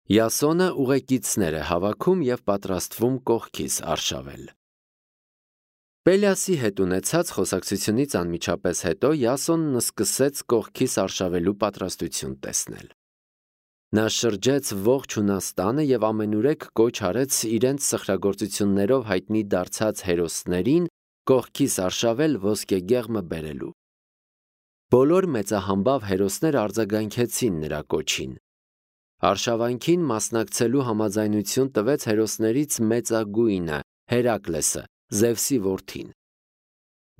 Յասոնը ուղեկիցներ է հավաքում և պատրաստվում կողքից արշավել։ Պելիասի հետ ունեցած խոսակցությունից անմիջապես հետո Յասոնն սկսեց կողքից արշավելու պատրաստություն տեսնել։ Նա շրջեց ողջ Հունաստանը և ամենուրեք կոչ արեց իրենց սխրագործություններով հայտնի դարձած հերոսներին կողքից արշավել ոսկեգեղմը բերելու։ Բոլոր մեծահամբավ հերոսները արձագանքեցին նրա կոչին։ Արշավանքին մասնակցելու համաձայնություն տվեց հերոսներից մեծագույնը Հերակլեսը, Զևսի որդին։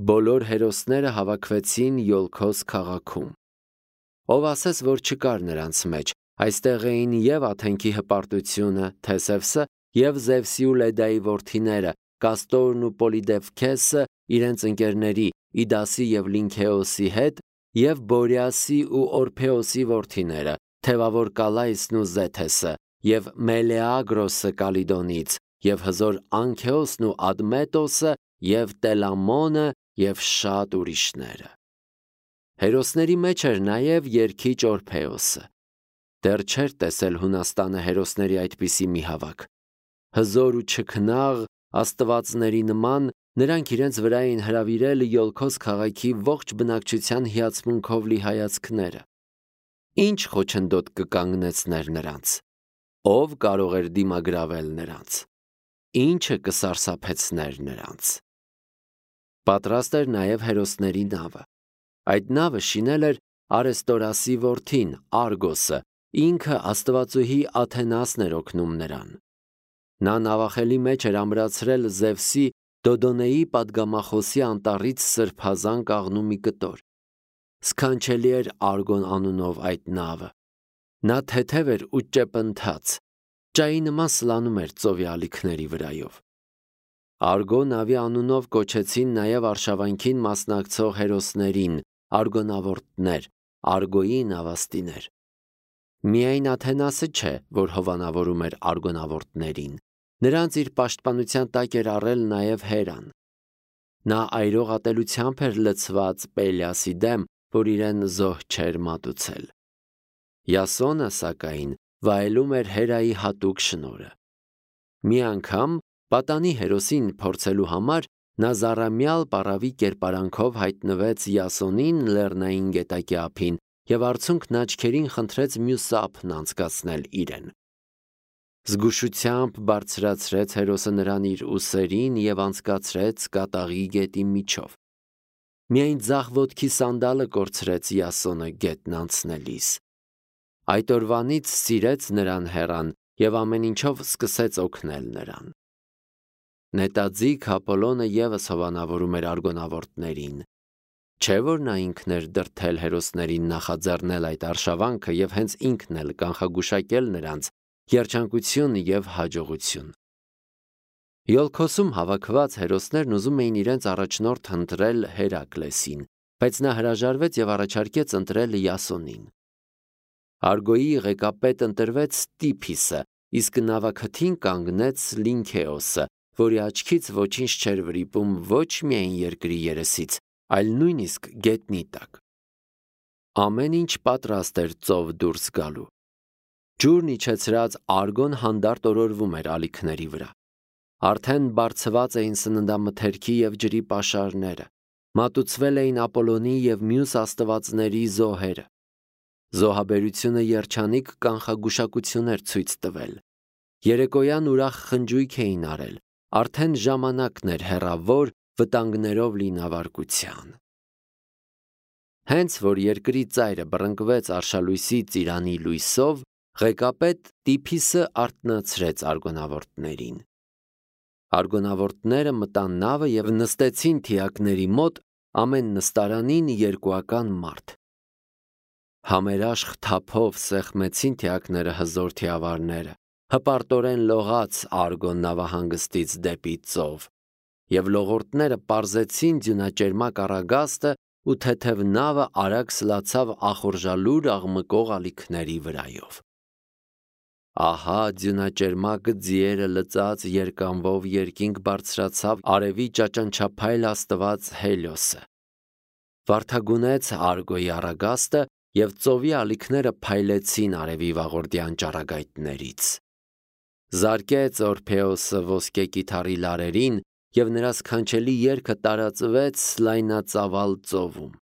Բոլոր հերոսները հավաքվեցին Յոլքոս քաղաքում։ Ով ասես, որ չկար նրանց մեջ, այստեղ էին և Աթենքի հպարտությունը, Թեսևսը, և Զևսի ու Լեդայի որդիները, Կաստորն ու Պոլիդևքեսը իրենց ընկերների Իդասի և Լինքեոսի հետ, և Բորիասի ու Օրփեոսի որդիները, թևավոր Կալայսն ու Զեթեսը, և Մելեագրոսը Կալիդոնից, և հզոր Անքեոսն ու Ադմետոսը, և Տելամոնը, և շատ ուրիշները։ Հերոսների մեջ էր նաև երգիչ Օրփեոսը։ Դեռ չէր տեսել Հունաստանը հերոսների այդպիսի մի հավաք։ Հզոր ու չքնաղ աստվածների նման նրանք իրենց վրա էին հրավիրել Յոլքոս քաղաքի ողջ բնակչության հիացմունքով լի հայացքները։ Ինչ խոչընդոտ կկանգնեցներ նրանց։ Ով կարող էր դիմագրավել նրանց։ Ինչը կսարսափեցներ նրանց։ Պատրաստ էր նաև հերոսների նավը։ Այդ նավը շինել էր Արեստորասի որդին Արգոսը, ինքը աստվածուհի Աթենասն էր օգնում նրան։ Նա նավախելի մեջ էր ամրացրել Զևսի Դոդոնեի պատգամախոսի անտառից սրբազան կաղնու մի կտոր։ Սքանչելի էր Արգոն անունով այդ նավը։ Նա թեթև էր ու ճեպընթաց, ճայի նման սլանում էր ծովի ալիքների վրայով։ Արգո նավի անունով կոչեցին նաև արշավանքին մասնակցող հերոսներին, արգոնավորտներ, Արգոյի նավաստիներ։ Միայն Աթենասը չէ, որ հովանավորում էր արգոնավորտներին։ Նրանց իր պաշտպանության տակ էր առել նաև Հերան։ Նա այրող ատելությամբ էր լցված Պելիասի դեմ, որ իրեն զոհ չէր մատուցել։ Յասոնը, սակայն, վայելում էր Հերայի հատուկ շնորհը։ Մի անգամ պատանի հերոսին փորձելու համար նա զառամյալ պառավի կերպարանքով հայտնվեց Յասոնին լեռնային գետակի ափին և արցունքն աչքերին խնդրեց մյուս ափն անցկացնել իրեն։ Զգուշությամբ բարձրացրեց հերոսը նրան իր ուսերին և անցկացրեց կատաղի գետի միջով։ Միայն ձախ ոտքի սանդալը կորցրեց Յասոնը գետն անցնելիս։ Այդ օրվանից սիրեց նրան Հերան և ամեն ինչով սկսեց օգնել նրան։ Նետաձիգ Ապոլոնը ևս հովանավորում էր արգոնավորտներին։ Չէ՞ որ նա ինքն էր դրդել հերոսներին նախաձեռնել այդ արշավանքը և հենց ինքն էլ կանխագուշակել նրանց երջանկություն և հաջողություն։ Յոլքոսում հավաքված հերոսներն ուզում էին իրենց առաջնորդ ընտրել Հերակլեսին, բայց նա հրաժարվեց և առաջարկեց ընտրել Յասոնին։ Արգոյի ղեկապետ ընտրվեց Տիփիսը, իսկ նավաքթին կանգնեց Լինքեոսը, որի աչքից ոչինչ չէր վրիպում ոչ միայն երկրի երեսից, այլ նույնիսկ գետնի տակ։ Ամեն ինչ պատրաստ էր ծով դուրս գալու։ Ջուրն իջեցրած Արգոն հանդարտ օրորվում էր ալիքների վրա։ Արդեն բարձված էին սննդամթերքի և ջրի պաշարները, մատուցվել էին Ապոլոնի և մյուս աստվածների զոհերը։ Զոհաբերությունը երջանիկ կանխագուշակություն էր ցույց տվել։ Երեկոյան ուրախ խնջույք էին արել, արդեն ժամանակն էր հեռավոր վտանգներով լի նավարկության։ Հենց որ երկրի ծայրը բռնկվեց արշալույսի ծիրանի լույսով, ղեկապետ Տիփիսը արթնացրեց արգոնավորտներին։ Արգոնավորտները մտան նավը և նստեցին թիակների մոտ, ամեն նստարանին երկուական մարդ։ Համերաշխ թափով սեղմեցին թիակները հզոր թիավարները, հպարտորեն լողաց Արգոն նավահանգստից դեպի ծով, և լողորդները պարզեցին ձյունաճերմակ առագաստը ու թեթև նավը արագ սլացավ ախորժալուր աղմկող ալիքների վրայով։ Ահա ձյունաճերմակ ձիերը լծած երկանվով երկինք բարձրացավ արևի ճաճանչափայլ աստված Հելիոսը։ Վարդագունեց Արգոյի առագաստը և ծովի ալիքները փայլեցին արևի վաղորդյան ճառագայթներից։ Զարկեց Օրփեոսը ոսկե կիթառի լարերին, և նրա սքանչելի երգը տարածվեց լայնածավալ ծովում։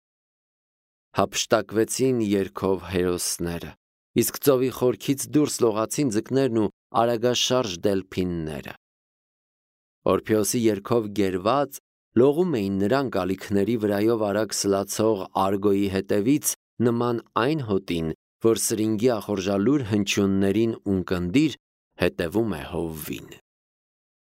Հափշտակվեցին երգով հերոսները, իսկ ծովի խորքից դուրս լողացին ձկներն ու արագաշարժ դելփինները։ Օրփեոսի երգով գերված լողում էին նրանք ալիքների վրայով արագ սլացող Արգոյի հետևից, նման այն հոտին, որ սրինգի ախորժալուր հնչյուններին ունկնդիր հետևում է հովվին։